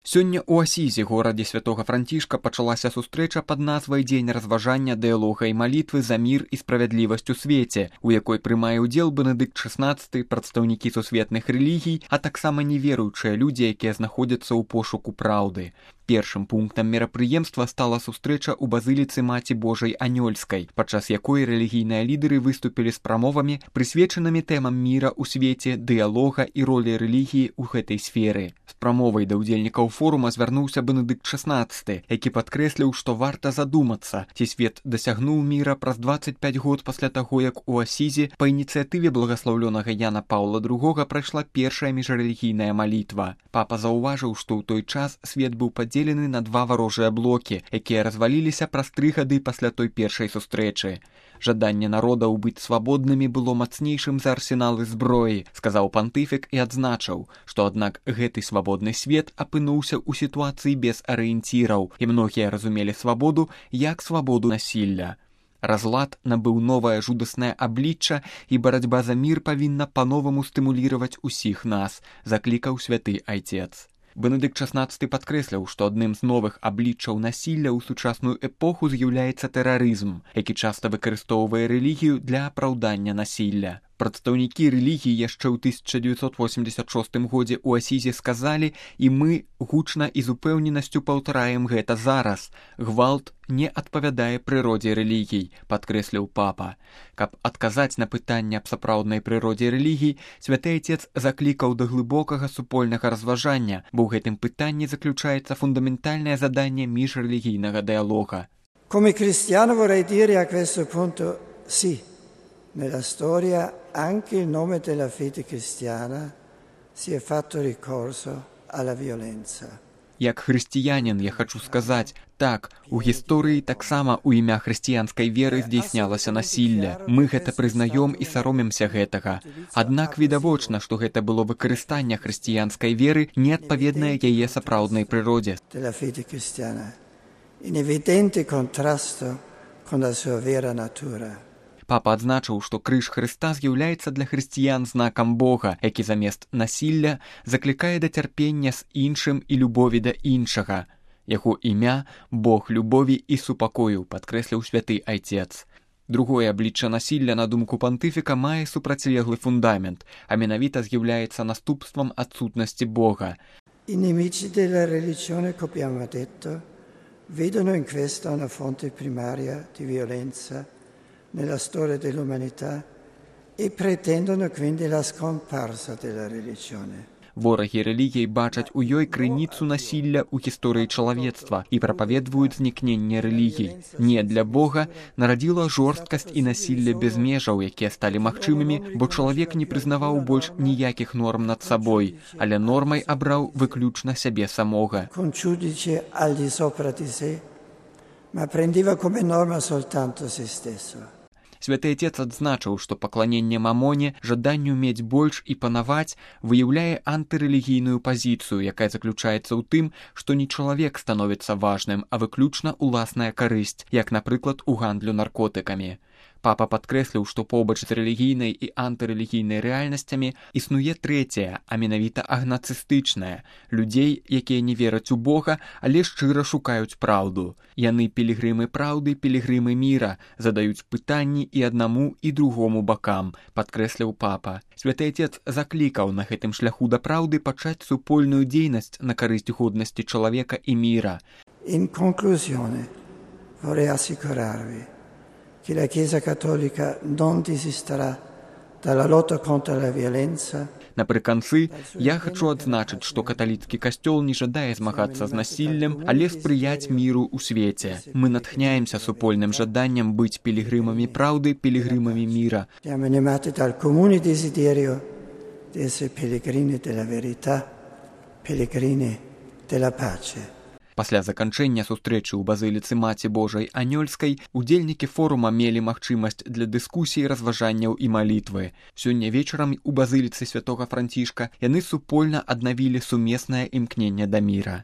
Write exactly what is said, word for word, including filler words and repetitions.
Сёння ў Асізе, горадзе святога Францішка, пачалася сустрэча пад назвай «Дзень разважання, дыялога і малітвы за мір і справядлівасць у свеце», у якой прымае ўдзел Бенедыкт шаснаццаты, прадстаўнікі сусветных рэлігій, а таксама неверуючыя людзі, якія знаходзяцца ў пошуку праўды. Першым пунктам мерапрыемства стала сустрэча ў базыліцы Маці Божай Анёльскай, падчас якой рэлігійныя лідары выступілі з прамовамі, прысвечанымі тэмам міра ў свеце, дыялога і ролі рэлігіі ў гэтай сферы. З прамовай да ўдзельнікаў форума звярнуўся Бенедыкт шаснаццаты, які падкрэсліў, што варта задумацца, ці свет дасягнуў міра праз дваццаць пяць год пасля таго, як у Асізе па ініцыятыве благаслаўлёнага Яна Паўла другога прайшла першая міжрэлігійная малітва. Папа заўважыў, што ў той час свет быў падзелены на два варожыя блокі, якія разваліліся праз тры гады пасля той першай сустрэчы. Жаданне народаў быць свабоднымі было мацнейшым за арсеналы зброі, сказаў пантыфік і адзначыў, што аднак гэты свабодны свет апынуўся ў сітуацыі без арыенціраў, і многія разумелі свабоду як свабоду насілля. Разлад набыў новае жудаснае аблічча, і барацьба за мір павінна па-новаму стымуліраваць усіх нас, заклікаў святы айцец. Бенедыкт шаснаццаты падкрэсліў, што адным з новых абліччаў насілля ў сучасную эпоху з'яўляецца тэрарызм, які часта выкарыстоўвае рэлігію для апраўдання насілля. Прадстаўнікі рэлігіі яшчэ ў тысяча дзевяцьсот восемьдесят шостым годзе ў Асізе сказалі, і мы гучна і з упэўненасцю паўтараем гэта зараз. Гвалт не адпавядае прыродзе рэлігій, падкрэсліў папа. Каб адказаць на пытанне аб сапраўднай прыродзе рэлігій, святы айцец заклікаў да глыбокага супольнага разважання, бо ў гэтым пытанні заключаецца фундаментальнае заданне міжрэлігійнага дыялога. Come cristiano vorrei dire a questo punto sì. Nella storia anche in nome della fede cristiana si è fatto ricorso alla violenza. Як хрысціянін я хачу сказаць, так, у гісторыі таксама ў імя хрысціянскай веры здзейснялася насілля. Мы гэта прызнаём і саромемся гэтага. Аднак відавочна, што гэта было выкарыстанне хрысціянскай веры, неадпаведнае яе сапраўднай прыродзе. Della fede cristiana, in evidente contrasto con la sua vera natura. Папа адзначыў, што крыж Хрыста з'яўляецца для хрысціян знакам Бога, які замест насілля заклікае да цярпення з іншым і любові да іншага. Яго імя – Бог любові і супакою, падкрэсліў святы айцец. Другое аблічча насілля, на думку пантыфіка, мае супрацьлеглы фундамент, а менавіта з'яўляецца наступствам адсутнасці Бога. I nemici della religione, come abbiamo detto, vedono in questa una fonte primaria di violenza nella storia dell'umanità e pretendono quindi la scomparsa della religione. Ворагі рэлігій бачаць у ёй крыніцу насілля ў гісторыі чалавецтва і прапаведваюць знікненне рэлігій. Не для Бога нарадзіла жорсткасць і насілле без межаў, якія сталі магчымымі, бо чалавек не прызнаваў больш ніякіх норм над сабой, але нормай абраў выключна сябе самога. Con giudice al di sopra di sé, ma prendeva come norma soltanto se stesso. Святы айцец адзначыў, што пакланенне мамоне, жаданню мець больш і панаваць, выяўляе антырэлігійную пазіцыю, якая заключаецца ў тым, што не чалавек становіцца важным, а выключна ўласная карысць, як, напрыклад, у гандлю наркотыкамі. Папа падкрэсліў, што побач з рэлігійнай і антырэлігійнай рэальнасцямі існуе трэцяя, а менавіта агнацыстычная, людзей, якія не вераць у Бога, але шчыра шукаюць праўду. Яны пілігрымы праўды, пілігрымы міра, задаюць пытанні і аднаму, і другому бакам, падкрэсліў папа. Святы айцец заклікаў на гэтым шляху да праўды пачаць супольную дзейнасць на карысць годнасці чалавека і міра. In conclusione, vorrei assicurarvi che la Chiesa Cattolica non desisterà dalla lotta contro la violenza. Напрыканцы, я хачу адзначыць, што каталіцкі касцёл не жадае змагацца з насіллем, але спрыяць міру ў свеце. Мы натхняемся супольным жаданнем быць пілігрымамі праўды, пілігрымамі міра. Siamo animati dal comune desiderio di essere pellegrini della verità, pellegrini della pace. Пасля заканчэння сустрэчы ў базыліцы Маці Божай Анёльскай удзельнікі форума мелі магчымасць для дыскусій, разважанняў і малітвы. Сёння вечарам у базыліцы святога Францішка яны супольна аднавілі сумеснае імкненне да міра.